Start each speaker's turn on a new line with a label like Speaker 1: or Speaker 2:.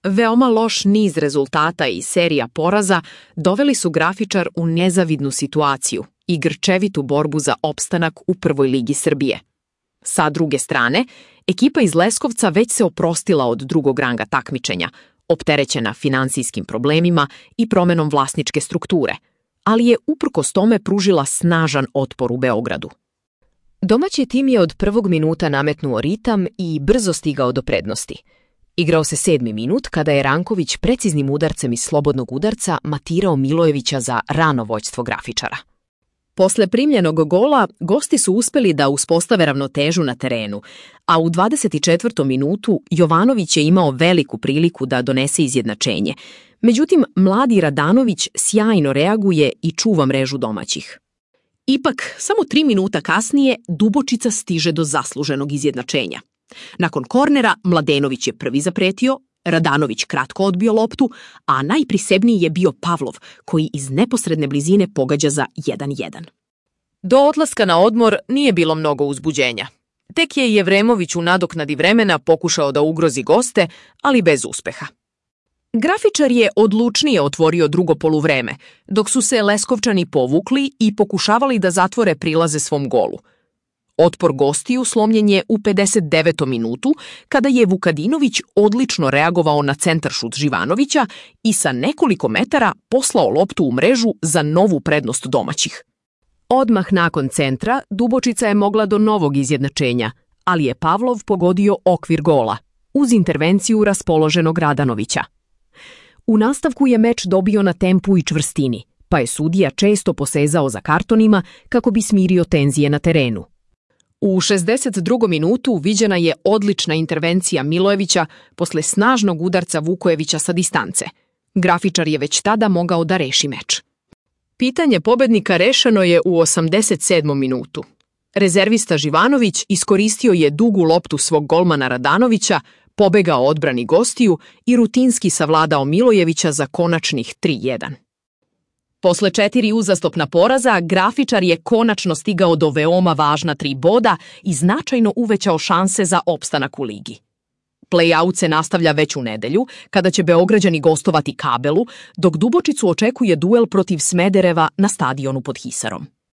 Speaker 1: Veoma loš niz rezultata i serija poraza doveli su Grafičar u nezavidnu situaciju i grčevitu borbu za opstanak u prvoj ligi Srbije. Sa druge strane, ekipa iz Leskovca već se oprostila od drugog ranga takmičenja, opterećena finansijskim problemima i promenom vlasničke strukture, ali je uprkos tome pružila snažan otpor u Beogradu.
Speaker 2: Domaći tim je od prvog minuta nametnuo ritam i brzo stigao do prednosti. Igrao se 7. minut kada je Ranković preciznim udarcem iz slobodnog udarca matirao Milojevića za rano vođstvo Grafičara.
Speaker 1: Posle primljenog gola, gosti su uspeli da uspostave ravnotežu na terenu, a u 24. minutu Jovanović je imao veliku priliku da donese izjednačenje. Međutim, mladi Radanović sjajno reaguje i čuva mrežu domaćih. Ipak, samo 3 minuta kasnije Dubočica stiže do zasluženog izjednačenja. Nakon kornera, Mladenović je prvi zapretio, Radanović kratko odbio loptu, a najprisebniji je bio Pavlov, koji iz neposredne blizine pogađa za 1:1.
Speaker 2: Do odlaska na odmor nije bilo mnogo uzbuđenja. Tek je Jevremović u nadoknadi vremena pokušao da ugrozi goste, ali bez uspeha. Grafičar je odlučnije otvorio drugo poluvreme, dok su se Leskovčani povukli i pokušavali da zatvore prilaze svom golu. Otpor gostiju slomljen je u 59. minutu, kada je Vukadinović odlično reagovao na centaršut Živanovića i sa nekoliko metara poslao loptu u mrežu za novu prednost domaćih. Odmah nakon centra, Dubočica je mogla do novog izjednačenja, ali je Pavlov pogodio okvir gola, uz intervenciju raspoloženog Radanovića. U nastavku je meč dobio na tempu i čvrstini, pa je sudija često posezao za kartonima kako bi smirio tenzije na terenu. U 62. minutu viđena je odlična intervencija Milojevića posle snažnog udarca Vukojevića sa distance. Grafičar je već tada mogao da reši meč. Pitanje pobednika rešeno je u 87. minutu. Rezervista Živanović iskoristio je dugu loptu svog golmana Radanovića, pobegao odbrani gostiju i rutinski savladao Milojevića za konačnih 3:1. Posle 4 uzastopna poraza, Grafičar je konačno stigao do veoma važna 3 boda i značajno uvećao šanse za opstanak u ligi. Play-out se nastavlja već u nedelju, kada će Beograđani gostovati Kabelu, dok Dubočicu očekuje duel protiv Smedereva na stadionu pod Hisarom.